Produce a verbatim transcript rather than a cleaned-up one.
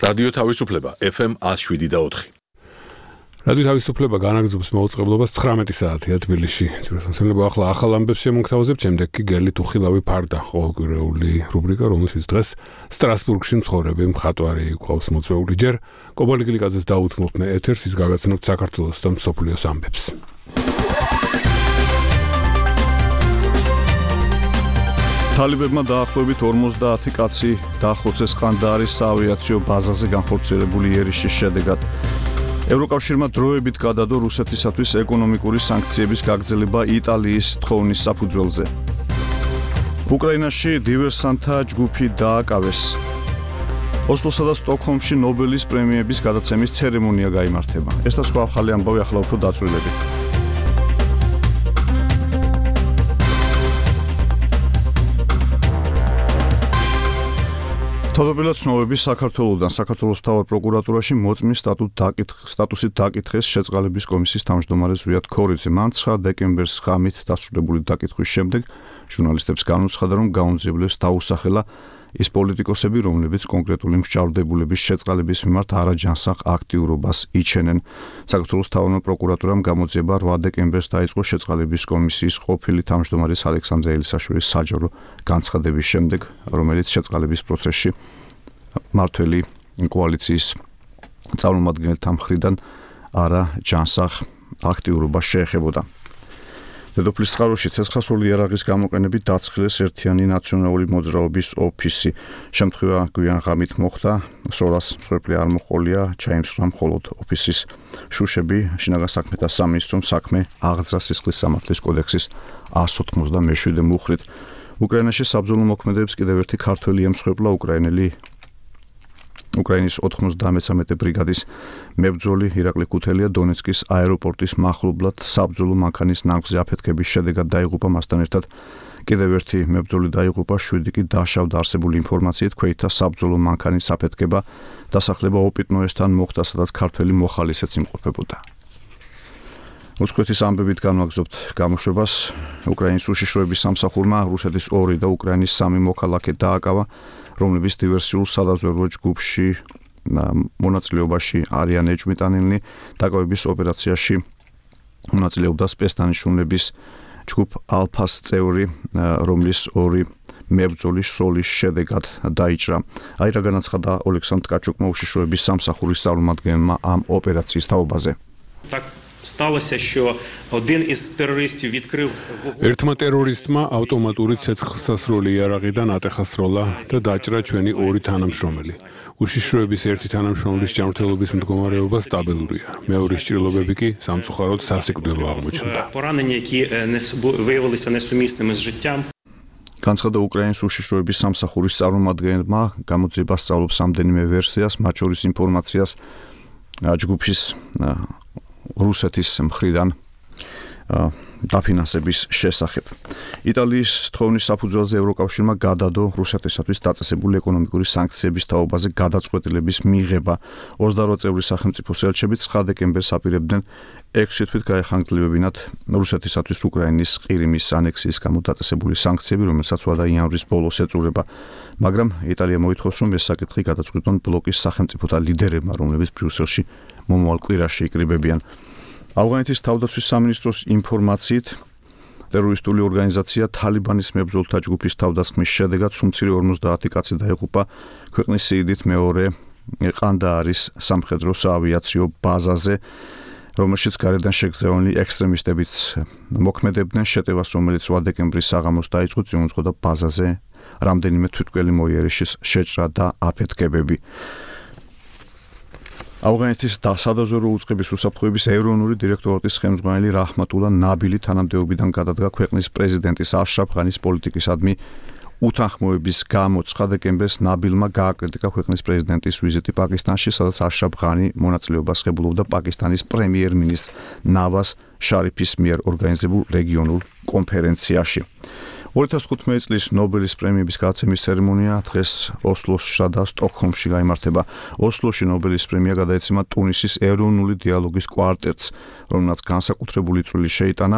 რადიო თავისუფლება ეფ ემ ათს შვიდი და ოთხი. რადიო თავისუფლება განაგრძობს მოუწყებლობას ცხრამეტი საათია თბილისში. ძირითადად ახლა ახალ ამბებს შემოგთავაზებთ, შემდეგ კი გელი თუხილავი ფარდა, ყოველკვირეული რუბრიკა, რომელშიც დღეს სტრასბურგში მცხოვრები მხატვარი გვყავს მოწვეული. ჯერ კობალი გლიკაძეს დაუთმობ მე ეთერს, ის გავაცნობთ საქართველოს და მსოფლიოს ამბებს. თალებებმა დაახლოებით ორმოცდაათი კაცი დახოცეს ყანდაარის საავიაციო ბაზაზე განხორციელებული იერიშის შედეგად. ევროკავშირმა დროებით გადადო რუსეთისათვის ეკონომიკური სანქციების გაგრძელება იტალიის თხოვნის საფუძველზე. უკრაინაში დივერსანტთა ჯგუფი დააკავეს. ოსლოსა და სტოკჰოლმში ნობელის პრემიების გადაცემის ცერემონია გაიმართება. ეს და სხვა ახალი ამბავი ახლა უფრო დაწვრილებით. თავდაპირველად ცნობები საქართველოსთან საქართველოს მთავარ პროკურატურაში მოწმის სტატუსით დაკითხეს შეწყალების კომისიის თავმჯდომარე ზვიად ქორიძე. მან ცხრა დეკემბერს ღამით დასრულებული დაკითხვის შემდეგ ჟურნალისტებს განუცხადა, რომ გაუნძიებლებს დაუსახელა ის პოლიტიკოსები, რომლებიც კონკრეტული მსჯავრდებულების შეწყალების მიმართ არაჯანსაღ აქტიურობას იჩენენ. საქართველოს მთავარმა პროკურატურამ გამოძიება რვა დეკემბერს დაიწყო შეწყალების კომისიის ყოფილი თავმჯდომარის ალექსანდრე ელისაშვილის საჯარო განცხადების შემდეგ, რომელიც შეწყალების პროცესში მმართველი კოალიციის წარმომადგენელთა მხრიდან არაჯანსაღ აქტიურობას შეეხებოდა. დედოფლის წყაროში ცეცხლსასროლი იარაღის გამოყენებით დაცხილეს ერთიანი ნაციონალური მოძრაობის ოფისი. შემთხვევა გვიან ღამით მოხდა, სროლას მსხვერპლი არ მოჰყოლია, ჩაიმსხვრა მხოლოდ ოფისის შუშები. შინაგან საქმეთა სამინისტრომ საქმე აღძრა სისხლის სამართლის კოდექსის ას ოთხმოცდამეშვიდე მუხრით. უკრაინაში საბრძოლო მოქმედებებს კიდევ ერთი ქართველი ემსხვერპლა, უკრაინელი უკრაინის ოთხმოცდამეცამეტე ბრიგადის მებრძოლი ირაკლი ქუთელია დონეცკის აეროპორტის მახლობლად საბრძოლო მანქანის ნავთზე აფეთქების შედეგად დაიღუპა. მასთან ერთად კიდევ ერთი მებრძოლი დაიღუპა, შვიდი კი დაშავდა. არსებული ინფორმაციით ქვეითთა საბრძოლო მანქანის აფეთქება დასახლება ოპიტნოესთან მოხდა, სადაც ქართველი მოხალისეც იმყოფებოდა. უცხოეთის ამბებით განვაგრძობთ გამოშვებას. უკრაინის უშიშროების სამსახურმა რუსეთის ორი და უკრაინის სამი მოქალაქე დააკავა, რომლებიც დივერსიულ სადაზვერვო ჯგუფში მონაწილეობაში არიან ეჭვმიტანილნი. დაკავების ოპერაციაში მონაწილეობდა სპეცდანიშნულების ჯგუფ ალფას წევრი, რომლის ორი მებრძოლის სროლის შედეგად დაიჭრა. აი რა განაცხადა ოლექსანდრ ткачукმა უშიშროების სამსახურის წარმომადგენელმა ამ ოპერაციის თაობაზე. Сталося, що один із терористів відкрив ერთმა ტერორისტმა ავტომატური ცეცხლსასროლი იარაღიდან ატეხასროლა და დაჭრა ჩვენი ორი თანამშრომელი. უშიშროების ერთი თანამშრომლის ჯანმრთელობის მდგომარეობა სტაბილურია. მეორის ჭრილობები კი სამწუხაროდ სასიკვდილო აღმოჩნდა. поранення, які виявилися несумісними з життям. განცხადა უკრაინის უშიშროების სამსახურის წარმომადგენელმა, გამოძიება სწავლობს რამდენიმე ვერსიას, მათ შორის ინფორმაციას ჯგუფის რუსეთის მხრიდან დაფინანსების შესახებ. იტალიის თხოვნის საფუძველზე ევროკავშირმა გადადო რუსეთისათვის დაწესებული ეკონომიკური სანქციების თაობაზე გადაწყვეტილების მიღება. ოცდაორი წევრი სახელმწიფოს ელჩები ცხრა დეკემბერს აპირებდნენ ექვსი თვით გაეხანგრძლივებინათ რუსეთისათვის უკრაინის ყირიმის ანექსიის გამო დაწესებული სანქციები, რომელსაც ვადა იანვრის ბოლოს ეწურება. მაგრამ იტალია მოითხოვს, რომ ეს საკითხი გადაწყვიტონ ბლოკის სახელმწიფოთა ლიდერებმა, რომლებიც ბრიუსელში მომავალ კვირაში იკრიბებიან. ავღანეთის თავდაცვის სამინისტროს ინფორმაციით, ტერორისტული ორგანიზაცია თალიბანის მებრძოლთა ჯგუფის თავდასხმის შედეგად სუმცირე ორმოცდაათი კაცი დაიღუპა ქვეყნის სიდიდით მეორე ყანდაარის სამხედრო საავიაციო ბაზაზე, რომელშიც გარედან შეგრძნეული ექსტრემისტებიც მოქმედებდნენ. შეტევას, რომელიც რვა დეკემბრის საღამოს დაიწყო, წინ უძღოდა ბაზაზე რამდენიმე თვითმკვლელი მოიერიშის შეჭრა და აფეთქებები. ავღანეთის სადაზვერვო უწყების უსაფრთხოების ეროვნული დირექტორატის ხელმძღვანელი რაჰმატულა ნაბილი თანამდებობიდან გადადგა ქვეყნის პრეზიდენტის აშრაფ ღანის პოლიტიკისადმი უთანხმოების გამო. ცხრა დეკემბერს ნაბილმა გააკრიტიკა ქვეყნის პრეზიდენტის ვიზიტი პაკისტანში, სადაც აშრაფ ღანი მონაწილეობას ღებულობდა პაკისტანის პრემიერ-მინისტრ ნავაზ შარიფის მიერ ორგანიზებულ რეგიონულ კონფერენციაში. ორი ათას თხუთმეტი წლის ნობელის პრემიების გადაცემის ცერემონია დღეს ოსლოსში და სტოკჰოლმში გაიმართება. ოსლოში ნობელის პრემია გადაეცემა ტუნისის ეროვნული დიალოგის კვარტეტს, რომელსაც განსაკუთრებული წვლილი შეიტანა